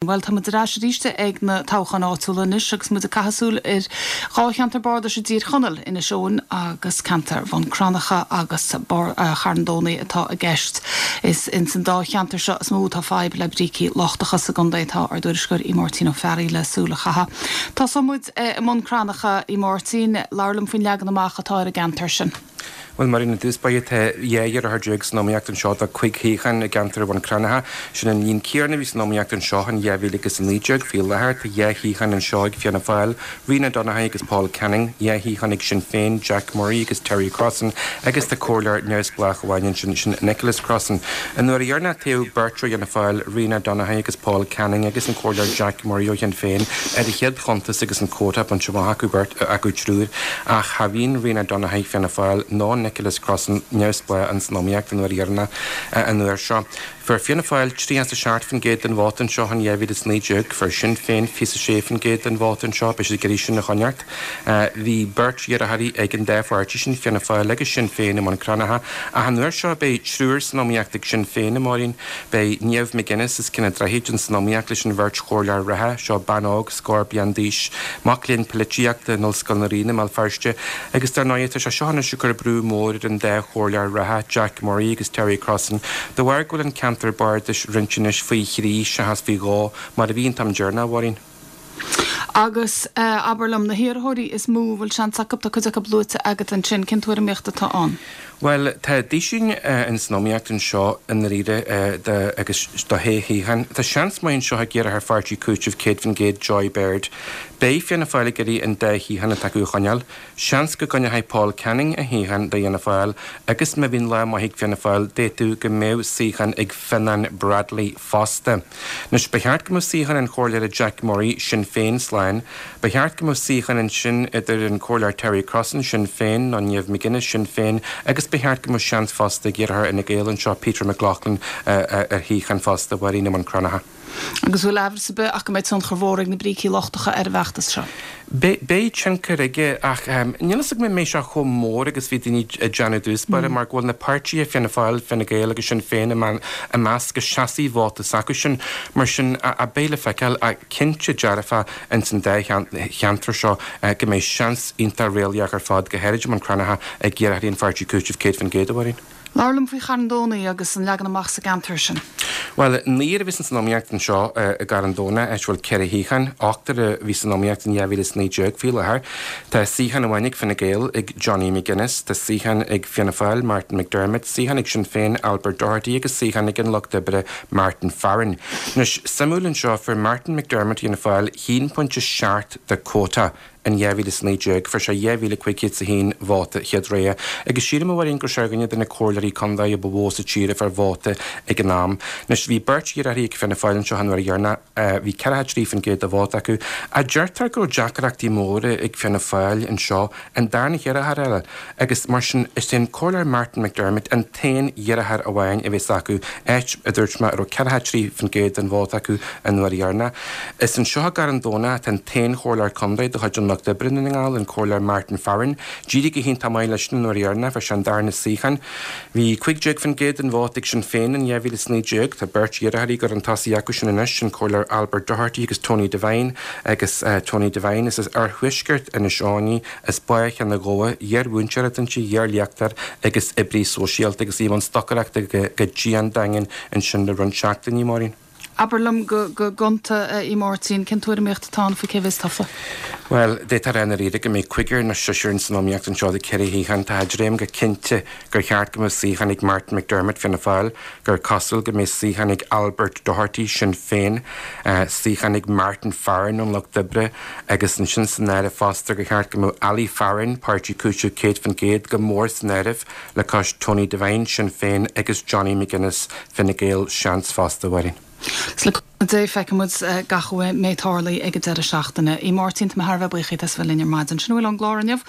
Bhuel, tá muid ar ais arís ag na toghcháin áitiúla anois agus muid ag caitheamh súil ar dhá cheantar bardais i dTír Chonaill, Inis Eoghain agus ceantar Bhun Cranncha agus Charn Domhnaigh atá i gceist. Is ins an dá cheantar seo is mó atá fadhb le brící lochtacha sa gcontae. Tá ár dtuairisceoir Aodh Máirtín Ó Fearraigh le súil a chaitheamh. Tosóidh muid i mBun Cranncha, a Mháirtín, labhair liom faoin leagan amach atá ar an gceantar sin. Bhuel, Máirín, i dtús báire tá 12 iarrthóir san iomaíocht anseo do 5 shuíochán i gceantar Bhun Cranncha. Sin an líon céanna a bhí san iomaíocht anseo in 2019. Faoi láthair tá 2 shuíochán anseo ag Fianna Fáil, Ríona Donaghy agus Paul Canning, 2 shuíochán ag Sinn Féin, Jack Murray agus Terry Crossan, agus tá comhairleoir neamhspleách amháin ansin, sin Nicholas Crossan. An uair dheireanach toghadh beirt ó Fhianna Fáil, Ríona Donaghy agus Paul Canning, agus an comhairleoir Jack Murray ó Shinn Féin ar a chéad chuntas agus an quota bainte amach acu beirt, acu triúr. Ach cha bhíonn Ríona Donaghy, Fianna Fáil, ná Nicholas Crossan, neamhspleách, ins an iomaíocht an uair dheireanach an uair seo. Fuair Fianna Fáil 37% den vóta anseo in 2019, fuair Sinn Féin 26% den vóta anseo, beidh siad ag iarraidh sin a choinneáilt. Bhí beirt iarrthóirí ag an dá pháirtí sin, Fianna Fáil agus Sinn Féin i mBun Cranncha, ach an uair seo beidh triúr san iomaíocht ag Sinn Féin, a Mháirín. Beidh Niamh McGuinness as Cionn an Droichid ins an iomaíocht leis an bheirt chomhairleoir reatha, seo bean óg, scór bliain d'aois, mac léinn polaitíochta in Ollscoil na Ríona i mBéal Feirste, agus dar ndóigh tá sé seo anois ag cur brú mór ar an dá chomhairleoir reatha, Jack Murray agus Terry Crossan, de bharr go bhfuil an ceantar bardais roinnte anois faoi thrí seachas faoi dhó mar a bhí an t-am deireanach, a Mháirín. Agus abair liom, na hiarrthóirí is mó a bhfuil seans acu, tá cuid acu luaite agat ansin, cén tuairimíocht atá ann? Bhuel, tá duisín ins an iomaíocht anseo i ndáiríre do agus do shé shuíochán. Tá seans maith anseo ag iarrthóir Pháirtí Cúitimh 100% Joy Baird. Beidh Fianna Fáil ag iarraidh an dá shuíochán atá acu a choinneáil. Seans go gcoinneoidh Paul Canning a shuíochán do Fhianna Fáil agus má bhíonn lá maith ag Fianna Fáil d'fhéadfadh go mbeadh suíochán ag Fionnán Bradley fosta. Anois, ba cheart go mbeadh suíochán an Chomhairleora Jack Murray, Sinn Féin, slán. Ba cheart go mbeadh suíochán ansin idir an Comhairleoir Terry Crossan, Sinn Féin, nó Niamh McGuinness, Sinn Féin, agus ba cheart go mbeadh seans fosta ag iarrthóir Fhine Gael anseo, Peter McLaughlin, ar shuíochán fosta, a Mháirín, i mBun Cranncha. Agus bhfuil aimhreas ar bith ach go mbeidh tionchar mhór ag na brící lochtacha ar an bhfeachtas seo? Beidh tionchar aige ach níl fhios agam an mbeidh sé chomh mór agus bhí daoine ag déanamh i dtús báire mar go bhfuil na páirtithe, Fianna Fáil, Fine Gael agus Sinn Féin i measc a seasfaidh vóta s'acusan. Mar sin beidh le feiceáil ach cinnte dearfa ins an dá cheantar seo go mbeidh seans iontach réalaíoch ar fad, go háirid i mBun Cranncha, ag iarrthóirí an pháirtí Cúiteamh 100%, a Mháirín. Labhair liom faoi Charn Domhnaigh agus an leagan amach sa gceantar sin. Bhuel, naonúr a bhí san iomaíocht anseo i gCarn Domhnaigh, áit a bhfuil 4 shuíochán. Ochtar a bhí san iomaíocht in 2019. Faoi láthair, tá suíochán amháin ag Fine Gael, ag Johnny McGuinness, tá suíochán ag Fianna Fáil, Martin McDermott, suíochán ag Sinn Féin, Albert Doherty, agus suíochán ag an Lucht Oibre, Martin Farren. Anois, suimiúil anseo, fuair Martin McDermott Fhianna Fáil 1.7 de quota In 2019, fuair sé 2,501 vóta chéad rogha, agus sílim, a Mháirín, go raibh sé ar dhuine de na comhairleoirí contae a ba mhó sa tír a fuair vóta ag an am. Anois, bhí beirt iarrthóirí ag Fianna Fáil anseo an uair dheireanach, bhí 43% de vóta acu. Ach deirtear go raibh deacrachtaí móra ag Fianna Fáil anseo, an darna hiarrthóir eile, agus mar sin, is é an Comhairleoir Martin McDermott an t-aon iarrthóir amháin a bheas acu, áit, a dúirt mé, a raibh 43% den vóta acu an uair dheireanach. Is anseo i gCarn Domhnach atá an t-aon chomhairleoir contae de chuid an Lucht Oibre i nDún na nGall, an Comhairleoir Martin Farren. D'éirigh go hiontach maith leis an uair dheireanach, fuair sé an darna suíochán. Bhí 15% den vóta ag Sinn Féin in 2019. Tá beirt iarrthóirí ag dul chun tosaigh acu sin anois, an Comhairleoir Albert Doherty agus Tony Devine. Agus Tony Devine, is as oirthuaisceart Inis Eoghain í, as Bá Cheann an Ghabha, iar-mhúinteoir atá inti, iar-léachtóir agus oibrí sóisialta agus í i mbun stocaireachta go dian daingean ansin le roinnt seachtainí, Máirín. Abair liom go gonta, a Mháirtín, cén tuairimíocht atá ann faoi cé bheas tofa? Bhuel, d'fhéadfá a rá i ndáiríre go mbeidh cúigear nó seisear ins an iomaíocht anseo do 4 shuíochán. Tá dream go cinnte gur cheart go mbeadh suíochán ag Martin McDermott, Fianna Fáil, gur cosúil go mbeidh suíochán ag Albert Doherty, Sinn Féin, suíochán ag Martin Farren ón Lucht Oibre agus ansin san áireamh fosta gur cheart go mbeadh Ali Farren, Páirtí Cúiteamh 100%, go mór san áireamh. Le cois Tony Devine, Sinn Féin, agus Johnny McGuinness, Fine Gael, seans fosta, a Mháirín. Agus le cúnamh Dé feicfidh muid gach a mbeidh ag tarlú ag an deireadh seachtaine. A Mháirtín, tá mé thar a bheith buíoch díot as a bheith linn ar maidin. Sin a bhfuil ón gclár inniu.